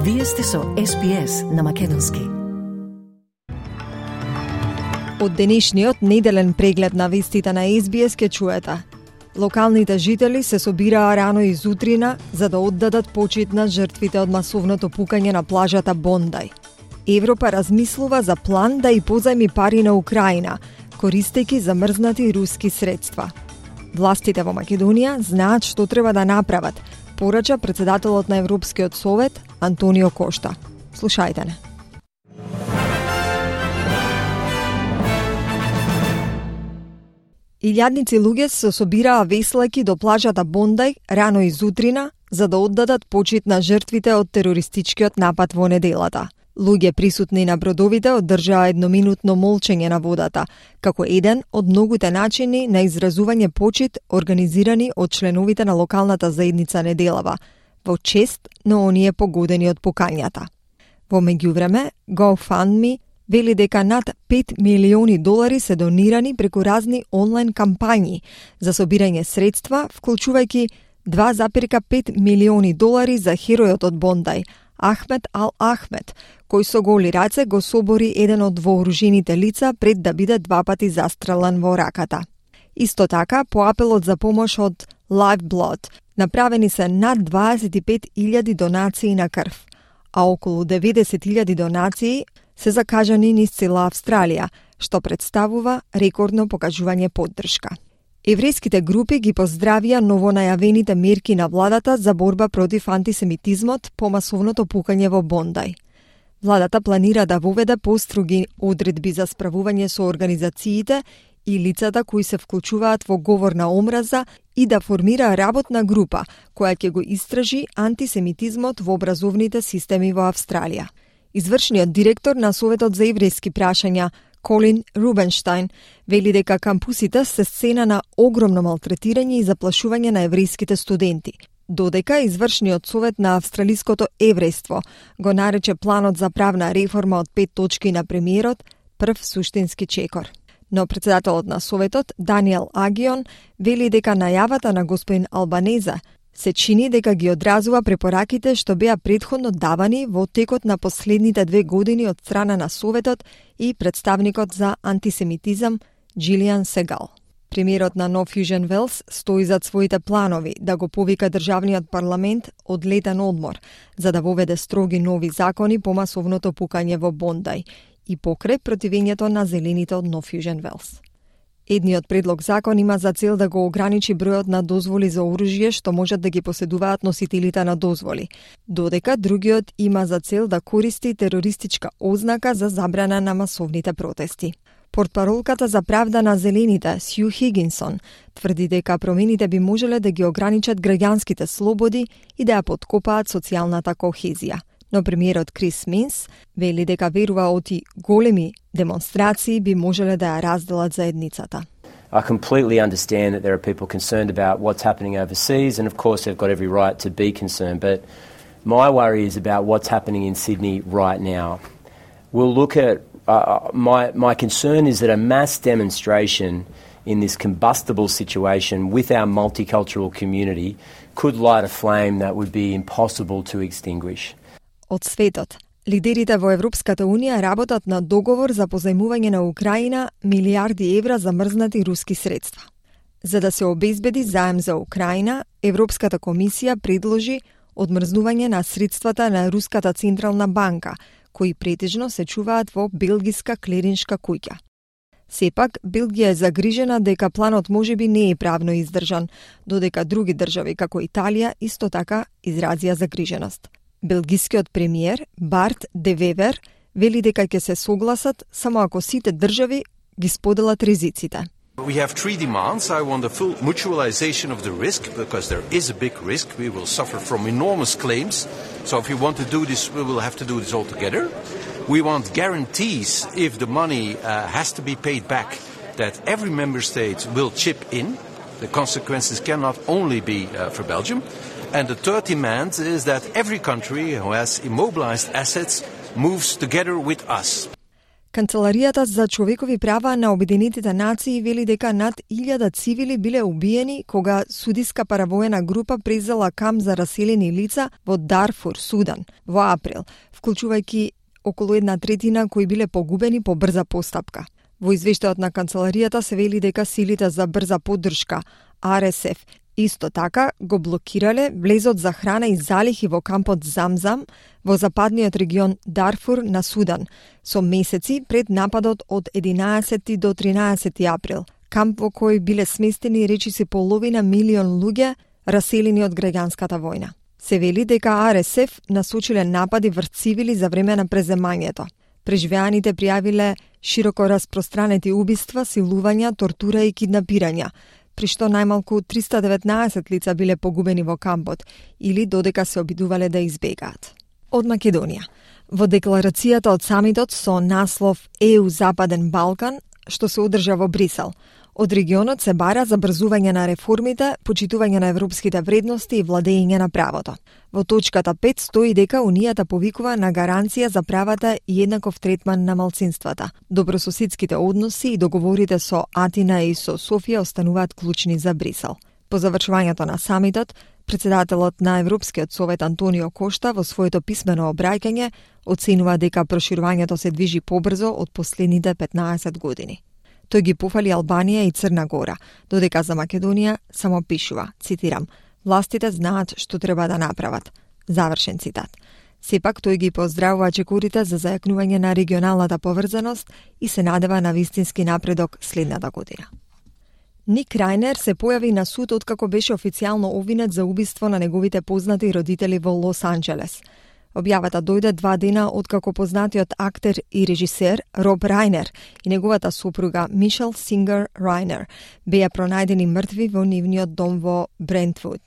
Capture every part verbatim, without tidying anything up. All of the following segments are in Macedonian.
Вие сте со Ес Би Ес на Македонски. Од денешниот неделен преглед на вестите на Ес Би Ес ке чуете. Локалните жители се собираа рано изутрина за да оддадат почит на жртвите од масовното пукање на плажата Бондај. Европа размислува за план да и позајми пари на Украина, користејќи замрзнати руски средства. Властите во Македонија знаат што треба да направат, порача председателот на Европскиот совет Антонио Кошта. Слушајте не. Илјадници луѓе се собираа веслајќи до плажата Бондај рано изутрина за да оддадат почит на жртвите од терористичкиот напад во неделата. Луѓе присутни на бродовите одржаа едноминутно молчење на водата, како еден од многуте начини на изразување почит организирани од членовите на локалната заедница неделава, во чест на оние погодени од пукањата. Во меѓувреме, GoFundMe вели дека над пет милиони долари се донирани преку разни онлайн кампањи за собирање средства, вклучувајќи два запирка пет милиони долари за херојот од Бондај, Ахмед Ал Ахмед, кој со голи раце го собори еден од вооружените лица пред да биде два пати застрелан во раката. Исто така, по апелот за помош од Lifeblood, направени се над дваесет и пет илјади донации на крв, а околу деветдесет илјади донации се закажани низ цела Австралија, што представува рекордно покажување поддршка. Еврејските групи ги поздравија новонајавените мерки на владата за борба против антисемитизмот по масовното пукање во Бондај. Владата планира да воведе построги одредби за справување со организациите и лицата кои се вклучуваат во говор на омраза и да формира работна група која ќе го истражи антисемитизмот во образовните системи во Австралија. Извршниот директор на Советот за еврејски прашања Колин Рубенштајн вели дека кампусите се сцена на огромно малтретирање и заплашување на еврејските студенти, додека извршниот совет на австралиското еврејство го нарече планот за правна реформа од пет точки на премиерот прв суштински чекор. Но председателот на советот Даниел Агион вели дека најавата на господин Албанезе се чини дека ги одразува препораките што беа претходно давани во текот на последните две години од страна на Советот и представникот за антисемитизам Джилијан Сегал. Премиерот на No Fusion Wales стои зад своите планови да го повика државниот парламент од летен одмор за да воведе строги нови закони по масовното пукање во Бондај и покрај противењето на зелените од No Fusion Wales. Едниот предлог закон има за цел да го ограничи бројот на дозволи за оружје што можат да ги поседуваат носителите на дозволи, додека другиот има за цел да користи терористичка ознака за забрана на масовните протести. Портпаролката за правда на зелените, Сју Хигинсон, тврди дека промените би можеле да ги ограничат граѓанските слободи и да ја поткопаат социјалната кохезија. Но премиерот Крис Минс вели дека верува оти големи демонстрации би можеле да ја разделат заедницата. I completely understand that there are people concerned about what's happening overseas, and of course they've got every right to be concerned, but my worry is about what's happening in Sydney right now. We'll look at, uh, my, my concern is that a mass demonstration in this combustible situation with our multicultural community could light a flame that would be impossible to extinguish. Од светот, лидерите во Европската Унија работат на договор за позајмување на Украина милиарди евра за мрзнати руски средства. За да се обезбеди заем за Украина, Европската комисија предложи одмрзнување на средствата на Руската централна банка, кои претежно се чуваат во белгиска клириншка куќа. Сепак, Белгија е загрижена дека планот можеби не е правно издржан, додека други држави како Италија исто така изразија загриженост. Белгискиот премиер Барт де Вевер вели дека ќе се согласат само ако сите држави ги споделат ризиците. We have three demands. I want a full mutualization of the risk, because there is a big risk. We will suffer from enormous claims. So if we want to do this, we will have to do this all together. We want guarantees if the money uh, has to be paid back, that every member state will chip in. The consequences cannot only be uh, for Belgium. And the third demand is that every country who has immobilized assets moves together with us. Канцеларијата за човекови права на Обединетите нации вели дека над илјада цивили биле убиени кога судиска паравоена група презела камп за раселени лица во Дарфур, Судан, во април, вклучувајќи околу една третина кои биле погубени по брза постапка. Во извештајот на канцеларијата се вели дека силите за брза поддршка Ар Ес Еф исто така го блокирале влезот за храна и залихи во кампот Замзам во западниот регион Дарфур на Судан, со месеци пред нападот од единаесети до тринаесети април, камп во кој биле сместени речиси половина милион луѓе раселени од граѓанската војна. Се вели дека Ар Ес Еф насочиле напади врз цивили за време на преземањето. Преживеаните пријавиле широко распространети убиства, силувања, тортура и киднапирања, при што најмалку триста и деветнаесет лица биле погубени во кампот или додека се обидувале да избегаат. Од Македонија. Во декларацијата од самитот со наслов Е У Западен Балкан, што се одржа во Брисел, од регионот се бара забрзување на реформите, почитување на европските вредности и владење на правото. Во точката пет стои дека Унијата повикува на гаранција за правата и еднаков третман на малцинствата. Добрососедските односи и договорите со Атина и со Софија остануваат клучни за Брисел. По завршувањето на самитот, председателот на Европскиот совет Антонио Кошта во своето писмено обраќање оценува дека проширувањето се движи побрзо од последните петнаесет години. Тој ги пофали Албанија и Црна Гора, додека за Македонија само пишува, цитирам, властите знаат што треба да направат. Завршен цитат. Сепак тој ги поздравува чекорите за зајакнување на регионалната поврзаност и се надева на вистински напредок следната година. Ник Рајнер се појави на суд откако беше официјално обвинет за убиство на неговите познати родители во Лос Анџелес. Објавата дојде два дена откако познатиот актер и режисер Роб Рајнер и неговата сопруга Мишел Сингер Рајнер беа пронајдени мртви во нивниот дом во Брентвуд.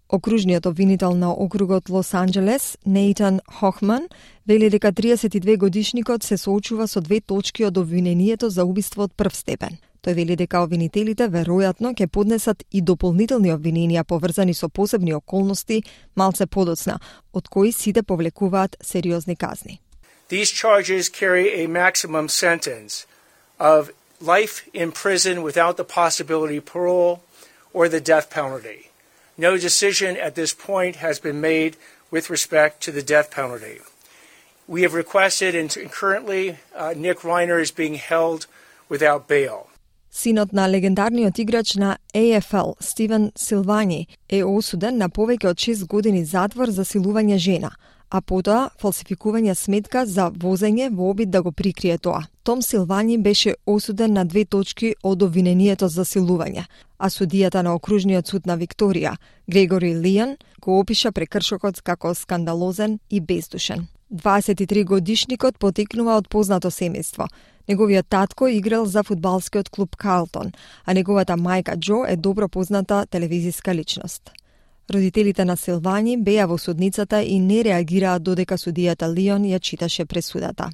Окружниот обвинител на округот Лос Анџелес, Нейтан Хохман, вели дека триесет и две годишникот се соочува со две точки од обвинението за убиство од прв степен. Тој вели дека обвинителите веројатно ќе поднесат и дополнителни обвиненија поврзани со посебни околности малце подоцна, од кои сите повлекуваат сериозни казни. These charges carry a maximum sentence of life in prison without the possibility of parole or the death penalty. No decision at this point has been made with respect to the death penalty. We have requested, and currently uh, Nick Reiner is being held without bail. Синот на легендарниот играч на Ей Еф Ел, Стивен Силвањи, е осуден на повеќе од шест години затвор за силување жена, а потоа фалсификување сметка за возење во обид да го прикрие тоа. Том Силвањи беше осуден на две точки од обвинението за силување, а судијата на окружниот суд на Викторија, Грегори Лијан, го опиша прекршокот како скандалозен и бездушен. дваесет и три годишникот потекнува од познато семејство. Неговиот татко играл за фудбалскиот клуб Карлтон, а неговата мајка Џо е добро позната телевизиска личност. Родителите на Силвањи беа во судницата и не реагираа додека судијата Лион ја читаше пресудата.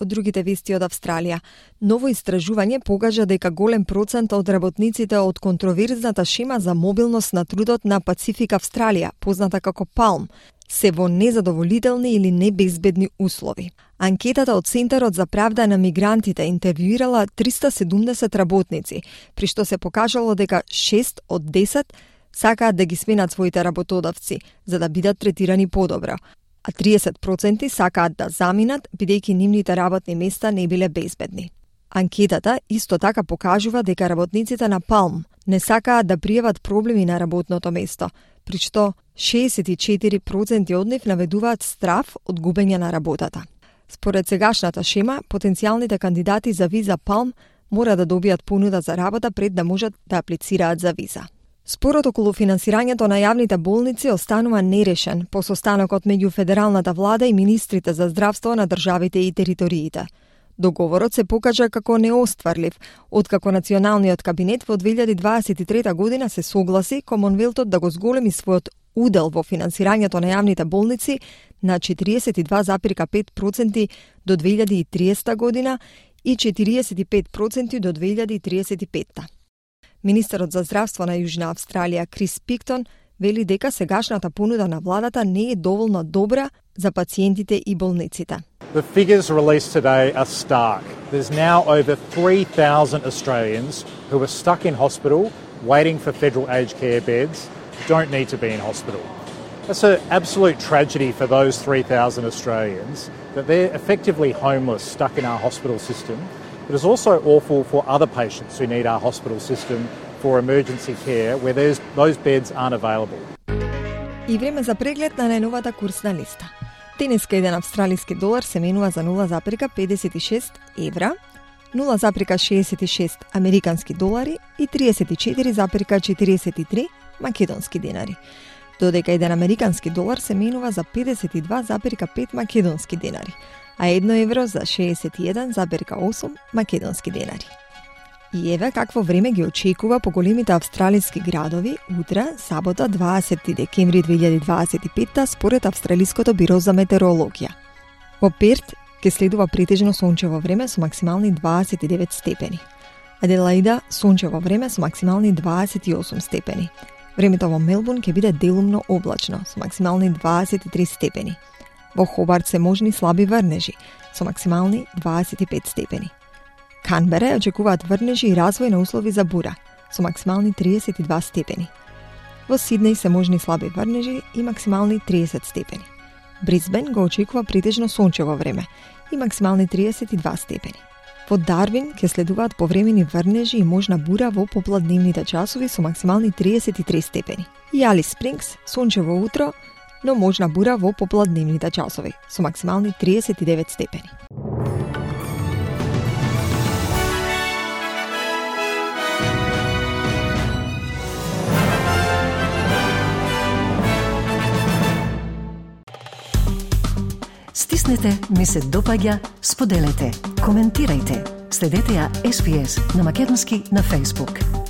Од другите вести од Австралија, ново истражување покажа дека голем процент од работниците од контроверзната шема за мобилност на трудот на Пацифик Австралија, позната како Палм, се во незадоволителни или небезбедни услови. Анкетата од Центарот за правда на мигрантите интервјуирала триста и седумдесет работници, при што се покажало дека шест од десет сакаат да ги сменат своите работодавци за да бидат третирани подобро, а триесет проценти сакаат да заминат бидејќи нивните работни места не биле безбедни. Анкетата исто така покажува дека работниците на Палм не сакаат да пријават проблеми на работното место, при што шеесет и четири проценти од нив наведуваат страф од губење на работата. Според сегашната шема, потенцијалните кандидати за виза Палм мора да добијат понуда за работа пред да можат да аплицираат за виза. Спорот околу финансирањето на јавните болници останува нерешен по состанокот меѓу федералната влада и министрите за здравство на државите и териториите. Договорот се покажа како неостварлив, откако националниот кабинет во две илјади дваесет и трета година се согласи Комонвелтот да го зголеми својот удел во финансирањето на јавните болници на четириесет и два запирка пет проценти до две илјади и триесета година и четириесет и пет проценти до две илјади и триесет и петта. Министерот за здравство на Јужна Австралија Крис Пиктон вели дека сегашната понуда на владата не е доволно добра за пациентите и болниците. The figures released today are stark. There's now over three thousand Australians who are stuck in hospital waiting for federal aged care beds, don't need to be in hospital. That's an absolute tragedy for those three thousand Australians, that they're effectively homeless, stuck in our hospital system. But it's also awful for other patients who need our hospital system for emergency care where there's, those beds aren't available. И време за преглед на најновата курсна листа. Денеска еден австралиски долар се менува за нула запирка педесет и шест евра, нула запирка шеесет и шест американски долари и триесет и четири запирка четиридесет и три македонски денари. Додека еден американски долар се менува за педесет и два запирка пет македонски денари, а едно евро за шеесет и еден запирка осум македонски денари. И еве какво време ги очекува по големите австралиски градови утре, сабота, дваесети декември две илјади дваесет и петта, според Австралиското биро за метеорологија. Во Перт ќе следува претежно сончево време со максимални дваесет и девет степени. Аделаида сончево време со максимални дваесет и осум степени. Времето во Мелбурн ќе биде делумно облачно со максимални дваесет и три степени. Во Хобарт се можни слаби врнежи со максимални дваесет и пет степени. Канбера очекуваат врнежи и развој на услови за бура со максимални триесет и два степени. Во Сиднеј се можни слаби врнежи и максимални триесет степени. Брисбен го очекува претежно сончево време и максимални триесет и два степени. Во Дарвин ќе следуваат повремени врнежи и можна бура во попладневните часови со максимални триесет и три степени. И Алис Спрингс сончево утро, но можна бура во попладневните часови со максимални триесет и девет степени. Стиснете, ми се допаѓа, споделете, коментирајте. Следете ја Ес Би Ес на македонски на Facebook.